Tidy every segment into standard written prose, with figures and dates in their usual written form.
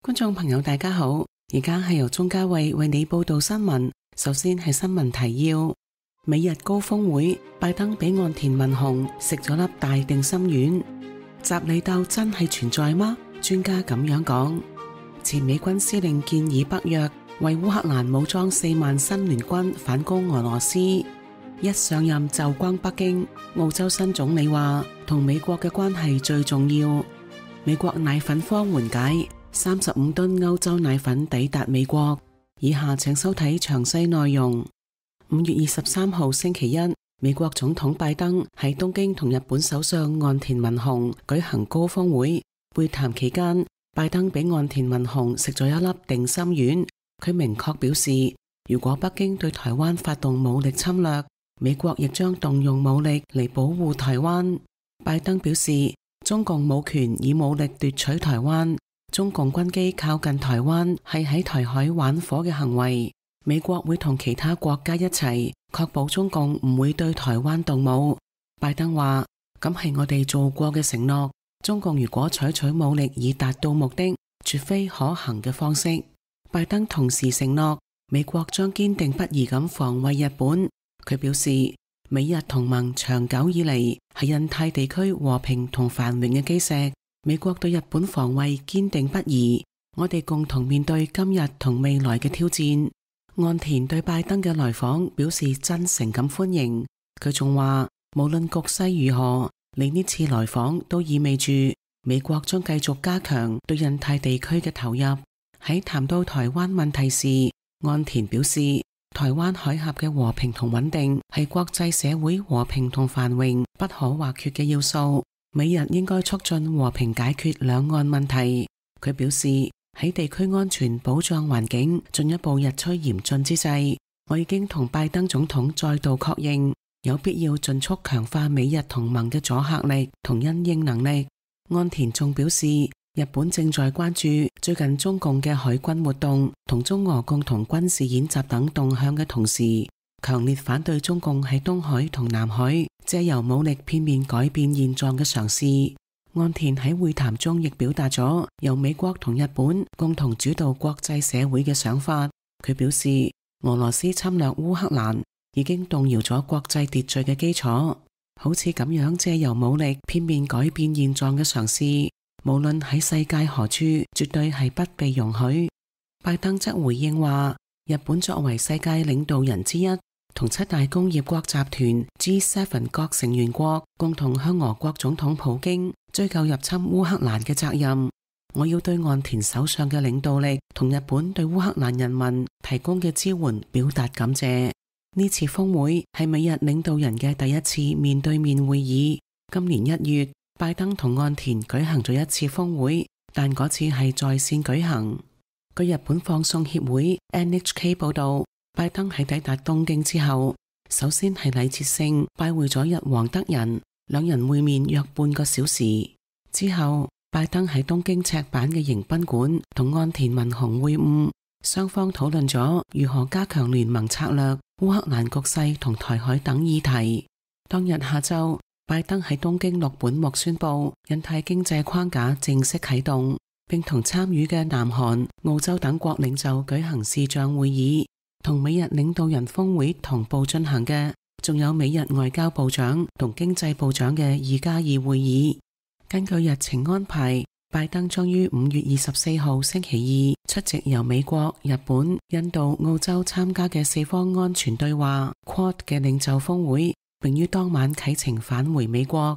觀眾朋友大家好，而家係由鍾嘉慧為你報道新聞。首先係新聞提要：美日高峰會，拜登俾岸田文雄食咗粒大定心丸。習李鬥真係存在嗎？專家咁樣講。前美軍司令建議北約為烏克蘭武裝4萬新聯軍反攻俄羅斯。一上任就轟北京，澳洲新總理話同美國嘅關係最重要。美國奶粉荒緩解，35噸歐洲奶粉抵達美國。以下請收睇詳細內容。5月23號星期一，美國總統拜登喺東京同日本首相岸田文雄舉行高峰會。會談期間，拜登俾岸田文雄食咗一粒定心丸。佢明確表示，如果北京對台灣發動武力侵略，美國亦將動用武力嚟保護台灣。拜登表示，中共冇權以武力奪取台灣，中共軍機靠近台灣係喺台海玩火嘅行為。美國會同其他國家一齊確保中共唔會對台灣動武。拜登話，咁係我哋做過嘅承諾，中共如果採取武力以達到目的，絕非可行嘅方式。拜登同時承諾，美國將堅定不移咁防衛日本。佢表示，美日同盟長久以嚟係印太地區和平同繁榮嘅基石。美國對日本防衛堅定不移，我哋共同面對今日同未來嘅挑戰。岸田對拜登嘅來訪表示真誠咁歡迎。佢仲話，無論局勢如何，你呢次來訪都意味住美國將繼續加強對印太地區嘅投入。喺談到台灣問題時，岸田表示，台灣海峽嘅和平同穩定係國際社會和平同繁榮不可或缺嘅要素。美日應該促進和平解決兩岸問題。佢表示，喺地區安全保障環境進一步日趨嚴峻之際，我已經同拜登總統再度確認，有必要盡速強化美日同盟嘅阻嚇力同因應能力。岸田仲表示，日本正在關注最近中共嘅海軍活動同中俄共同軍事演習等動向嘅同時，強烈反對中共喺東海同南海借由武力片面改變現狀嘅嘗試。岸田喺會談中亦表達咗由美國同日本共同主導國際社會嘅想法。佢表示，俄羅斯侵略烏克蘭已經動搖咗國際秩序嘅基礎，好似咁樣借由武力片面改變現狀嘅嘗試，無論喺世界何處，絕對係不被容許。拜登則回應話，日本作為世界領導人之一，同7大工業國集團 G7 各成員國共同向俄國總統普京追究入侵烏克蘭嘅責任。我要對岸田首相嘅領導力同日本對烏克蘭人民提供嘅支援表達感謝。呢次峰會係美日領導人嘅第一次面對面會議。今年1月，拜登同岸田舉行咗一次峰會，但嗰次係在線舉行。據日本放送協會 NHK 報道，拜登喺抵達東京之後，首先係禮節性拜會咗日皇德仁，兩人會面約半個小時。之後，拜登喺東京赤坂嘅迎賓館同岸田文雄會晤，雙方討論咗如何加強聯盟策略、烏克蘭局勢同台海等議題。當日下晝，拜登喺東京六本木宣布印太經濟框架正式啟動，並同參與嘅南韓、澳洲等國領袖舉行視像會議。同美日領導人峰會同步進行嘅，仲有美日外交部長同經濟部長嘅2+2會議。根據日程安排，拜登將於5月24號星期二出席由美國、日本、印度、澳洲參加嘅4方安全對話 Quad 嘅領袖峰會，並於當晚啟程返回美國。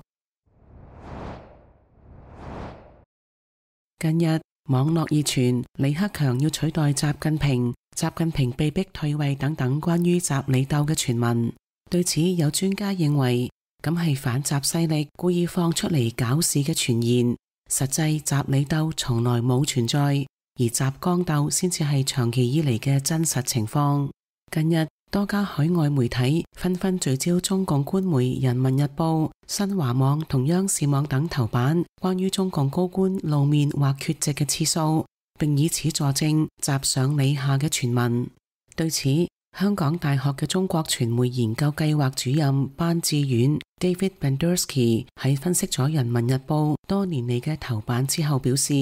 近日網絡熱傳李克強要取代習近平、習近平被逼退位等等關於習李鬥嘅傳聞。對此，有專家認為，咁係反習勢力故意放出嚟搞事嘅傳言，實際習李鬥從來冇存在，而習江鬥先至係長期以嚟嘅真實情況。近日多家海外媒體紛紛聚焦中共官媒《人民日報》、新華網同央視網等頭版關於中共高官露面或缺席嘅次數，並以此佐證習上李下嘅傳聞。對此，香港大學嘅中國傳媒研究計劃主任班志遠 David Bandersky 喺分析咗《人民日報》多年嚟嘅頭版之後表示，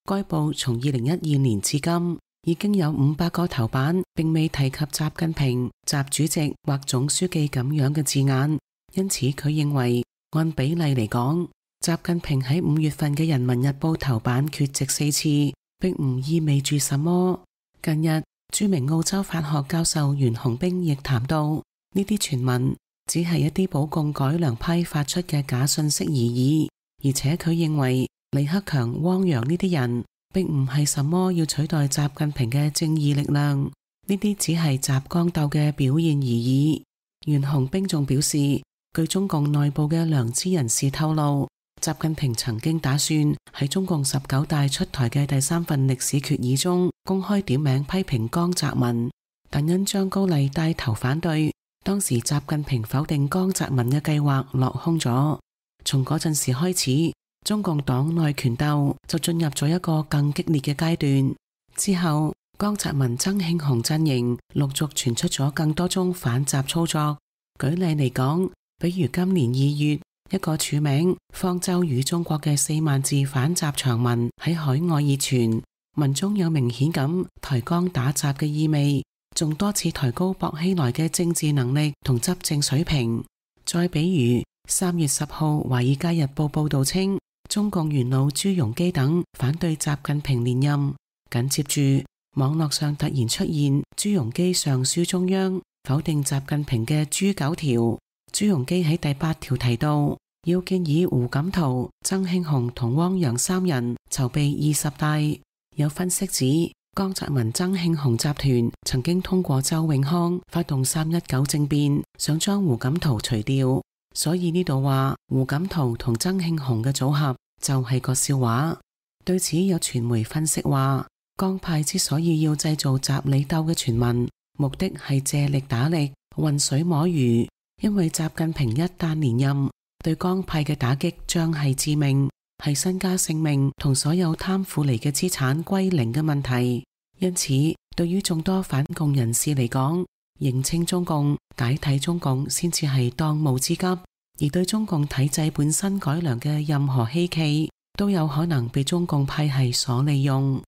該報從2012年至今已經有500個頭版並未提及習近平、習主席或總書記咁樣嘅字眼，因此佢認為按比例嚟講，習近平喺5月份嘅《人民日報》頭版缺席4次，並唔意味住什麼。近日，著名澳洲法學教授袁洪兵亦談到，呢啲傳聞只係一啲保共改良派發出嘅假信息而已，而且佢認為李克強、汪洋呢啲人並唔係什麼要取代習近平嘅正義力量，呢啲只係習江鬥嘅表現而已。袁洪兵仲表示，據中共內部嘅良知人士透露，習近平曾經打算喺中共19大出台嘅第3份歷史決議中公開點名批評江澤民，但因張高麗帶頭反對，當時習近平否定江澤民嘅計劃落空咗。從嗰陣時開始，中共黨內權鬥就進入咗一個更激烈嘅階段。之後，江澤民、曾慶紅陣營陸續傳出咗更多宗反習操作。舉例嚟講，比如今年2月，一個署名方舟與中國嘅4萬字反習長文喺海外熱傳，文中有明顯咁抬江打習嘅意味，仲多次抬高薄熙來嘅政治能力同執政水平。再比如3月10號《華爾街日報》報道稱，中共元老朱鎔基等反對習近平連任，緊接住網絡上突然出現朱鎔基上書中央否定習近平嘅朱9條。朱鎔基喺第8條提到，要建議胡錦濤、曾慶紅同汪洋3人籌備20大。有分析指，江澤民、曾慶紅集團曾經通過周永康發動319政變，想將胡錦濤除掉，所以呢度話胡錦濤同曾慶紅嘅組合就係個笑話。對此有傳媒分析話，江派之所以要製造習李鬥嘅傳聞，目的係借力打力，渾水摸魚。因為習近平一旦連任，對江派嘅打擊將係致命，係身家性命同所有貪腐嚟嘅資產歸零嘅問題。因此，對於眾多反共人士嚟講，認清中共、解體中共先至係當務之急，而對中共體制本身改良嘅任何希冀，都有可能被中共派系所利用。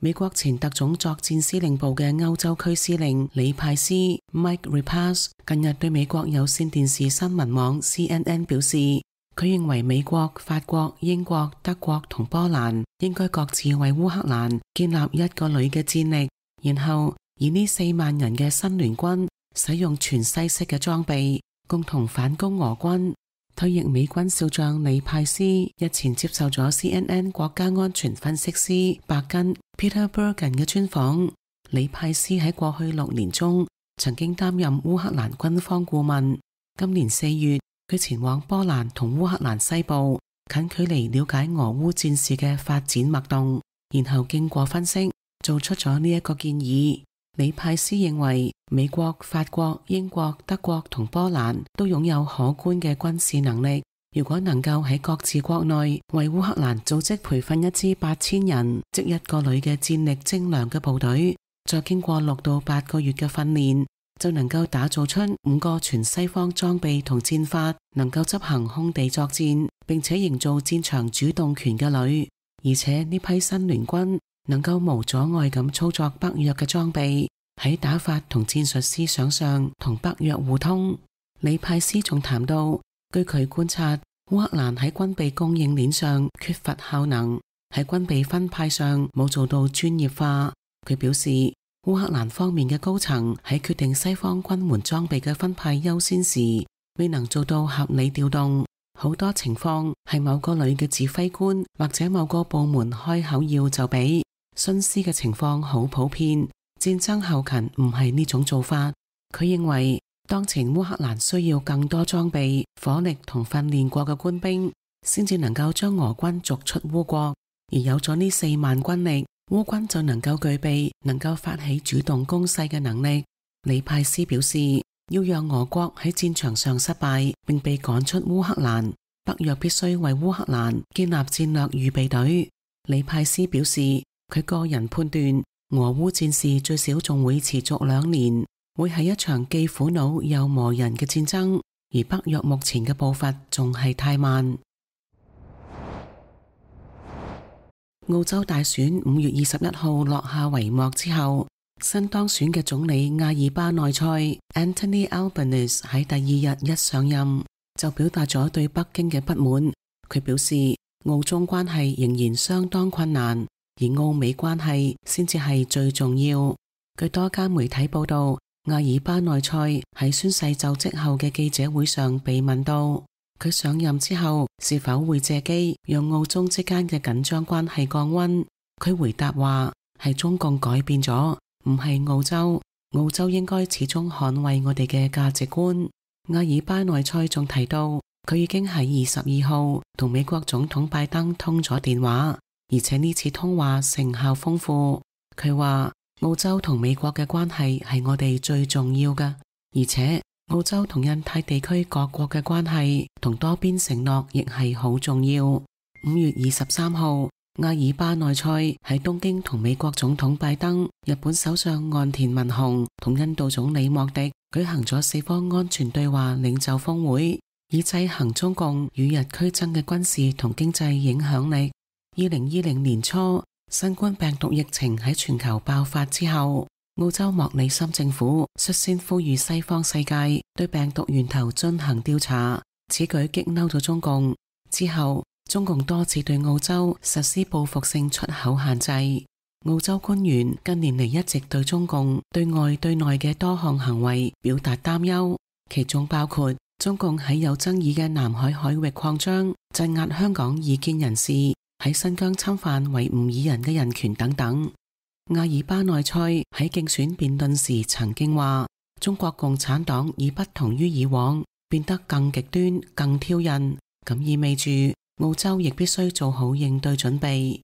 美國前特種作戰司令部嘅歐洲區司令李派斯 Mike Repass 近日對美國有線電視新聞網 CNN 表示，佢認為美國、法國、英國、德國同波蘭應該各自為烏克蘭建立一個旅嘅戰力，然後以呢4萬人嘅新聯軍使用全西式嘅裝備，共同反攻俄軍。退役美軍少將李派斯日前接受咗 CNN 國家安全分析師白根 Peter Bergen 嘅專訪。李派斯喺過去6年中曾經擔任烏克蘭軍方顧問。今年4月，佢前往波蘭同烏克蘭西部，近距離了解俄烏戰事嘅發展脈動，然後經過分析，做出咗呢一個建議。李派斯認為美國、法國、英國、德國同波蘭都擁有可觀嘅軍事能力，如果能夠喺各自國內為烏克蘭組織培訓一支8000人，即1個旅嘅戰力精良嘅部隊，再經過6到8個月嘅訓練，就能夠打造出5個全西方裝備同戰法，能夠執行空地作戰，並且營造戰場主動權嘅旅。而且呢批新聯軍能夠無阻礙咁操作北約嘅裝備，喺打法同戰術思想上同北約互通。李派斯仲談到，據佢觀察，烏克蘭喺軍備供應鏈上缺乏效能，喺軍備分派上冇做到專業化。佢表示，烏克蘭方面嘅高層喺決定西方軍援裝備嘅分派優先時，未能做到合理調動。好多情況係某個旅嘅指揮官或者某個部門開口要就俾，徇私嘅情況好普遍。戰爭後勤唔係呢種做法。佢認為當前烏克蘭需要更多裝備、火力同訓練過嘅官兵，先至能夠將俄軍逐出烏國。而有咗呢4萬軍力，烏軍就能夠具備能夠發起主動攻勢嘅能力。李派斯表示，要讓俄國喺戰場上失敗並被趕出烏克蘭，北約必須為烏克蘭建立戰略預備隊。李派斯表示，佢個人判斷俄烏戰事最少仲會持續2年，會係一場既苦惱又磨人嘅戰爭，而北約目前嘅步伐仲係太慢。澳洲大選5月21號落下帷幕之後，新當選嘅總理阿爾巴內塞 Anthony Albanese 喺第二日一上任就表達咗對北京嘅不滿。佢表示澳中關係仍然相當困難，而澳美關係先至係最重要。據多家媒體報道，阿爾巴內塞喺宣誓就職後嘅記者會上被問到佢上任之後是否會借機讓澳中之間嘅緊張關係降溫。佢回答話係中共改變咗，唔係澳洲。澳洲應該始終捍衛我哋嘅價值觀。阿爾巴內塞仲提到佢已經喺22號同美國總統拜登通咗電話，而且呢次通話成效豐富。佢話澳洲同美國嘅關係係我哋最重要嘅，而且澳洲同印太地區各國嘅關係同多邊承諾亦係好重要。5月23號，阿爾巴內塞喺東京同美國總統拜登、日本首相岸田文雄同印度總理莫迪舉行咗四方安全對話領袖峰會，以制衡中共與日俱增嘅軍事同經濟影響力。2020年初，新冠病毒疫情喺全球爆發之後，澳洲莫里森政府率先呼籲西方世界對病毒源頭進行調查，此舉激嬲咗中共。之後，中共多次對澳洲實施報復性出口限制。澳洲官員近年嚟一直對中共對外對內嘅多項行為表達擔憂，其中包括中共喺有爭議嘅南海海域擴張、鎮壓香港異見人士、喺新疆侵犯維吾爾人嘅人權等等。阿爾巴內塞喺競選辯論時曾經話，中國共產黨已不同於以往，變得更極端、更挑釁，咁意味住澳洲亦必須做好應對準備。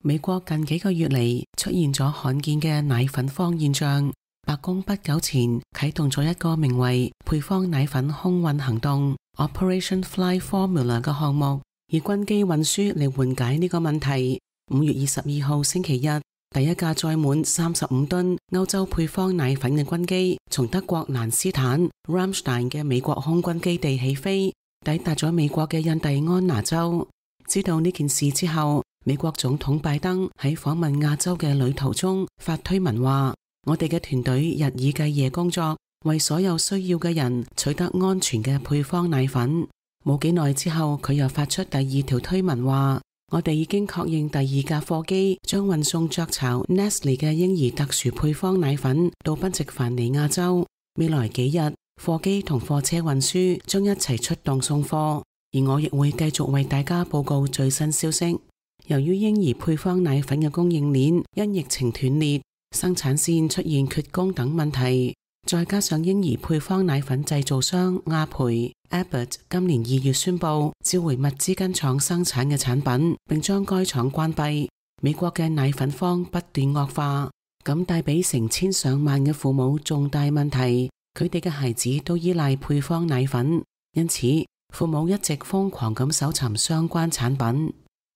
美國近幾個月嚟出現咗罕見嘅奶粉荒現象，白宮不久前啟動咗一個名為配方奶粉空運行動 Operation Fly Formula 嘅項目，以軍機運輸嚟緩解呢個問題。5月22號星期日，第一架載滿35噸歐洲配方奶粉嘅軍機從德國蘭斯坦 Ramstein 嘅美國空軍基地起飛，抵達咗美國嘅印第安納州。知道呢件事之後，美國總統拜登喺訪問亞洲嘅旅途中發推文話，我哋嘅團隊日以繼夜工作，為所有需要嘅人取得安全嘅配方奶粉。冇幾耐之後，佢又發出第二條推文話，我哋已經確認第二架貨機將運送雀巢 Nestle 嘅嬰兒特殊配方奶粉到賓夕凡尼亞州。未來幾日，貨機同貨車運輸將一齊出動送貨，而我亦會繼續為大家報告最新消息。由於嬰兒配方奶粉嘅供應鏈因疫情斷裂，生產線出現缺工等問題，再加上嬰兒配方奶粉製造商阿培 Abbott 今年2月宣布召回密芝根廠生產嘅產品，並將該廠關閉，美國嘅奶粉荒不斷惡化，咁帶俾成千上萬嘅父母重大問題，佢哋嘅孩子都依賴配方奶粉，因此父母一直瘋狂咁搜尋相關產品。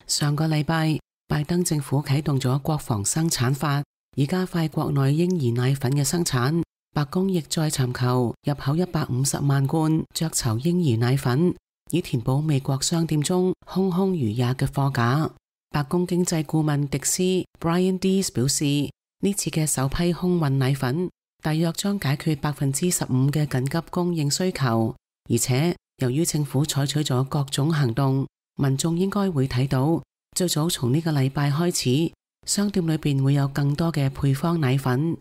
上個禮拜，拜登政府啟動咗國防生產法，以加快國內嬰兒奶粉嘅生產。白宮亦再尋求入口150萬罐雀巢嬰兒奶粉，以填補美國商店中空空如也嘅貨架。白宮經濟顧問迪斯 Brian Deese 表示，呢次嘅首批空運奶粉大約將解決15%嘅緊急供應需求，而且由於政府採取咗各種行動，民眾應該會睇到，最早從呢個禮拜開始，商店裏邊會有更多嘅配方奶粉。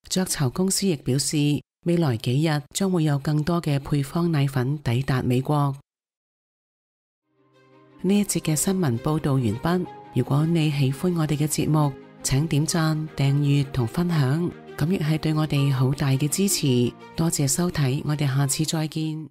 雀巢公司亦表示，未來幾日將會有更多嘅配方奶粉抵達美國。呢一節嘅新聞報道完畢。如果你喜歡我哋嘅節目，請點讚、訂閱同分享，咁亦係對我哋好大嘅支持。多謝收睇，我哋下次再見。